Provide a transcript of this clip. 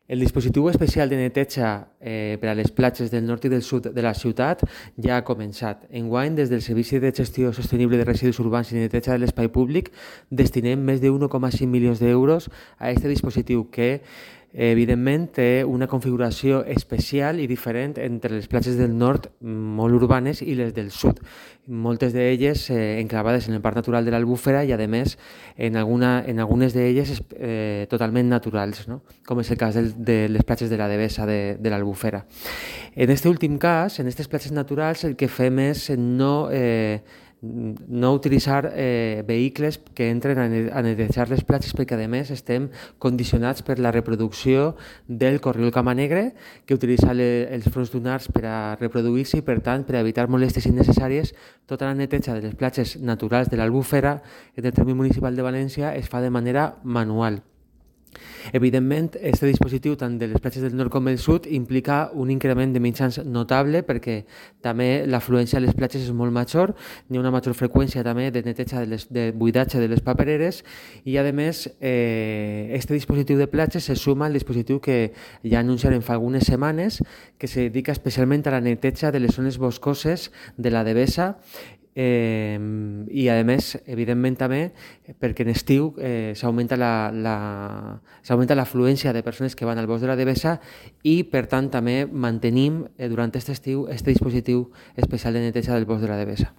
El dispositiu especial de neteja per a les platges del nord i del sud de la ciutat ja ha començat. Enguany, des del Servici de Gestió Sostenible de Residus Urbans i Neteja de l'Espai Públic, destinem més de 1,5 milions d'euros a aquest dispositiu que evidentment té una configuració especial i diferent entre les platges del nord molt urbanes i les del sud, moltes d'elles enclavades en el Parc Natural de l'Albufera i a més en algunes d'elles totalment naturals, no? Com és el cas de les platges de la Devesa de l'Albufera. En aquest últim cas, en aquestes platges naturals, el que fem és no utilitzar vehicles que entren a netejar les platges perquè a més estem condicionats per la reproducció del corriol camanegre que utilitza els fronts dunars per a reproduir-se i per tant per a evitar molèsties innecessàries tota la neteja de les platges naturals de l'Albufera en el terme municipal de València es fa de manera manual. Evidentment, aquest dispositiu tant de les platges del nord com del sud implica un increment de mitjans notable perquè també l'afluència a les platges és molt major, hi ha una major freqüència també de neteja de buidatge de les papereres i a més aquest dispositiu de platges se suma al dispositiu que ja anunciarem fa algunes setmanes que se dedica especialment a la neteja de les zones boscoses de la Devesa i a més, evidentment també perquè en estiu s'augmenta l'afluència de persones que van al bosc de la Devesa i per tant també mantenim durant aquest estiu este dispositiu especial de neteja del bosc de la Devesa.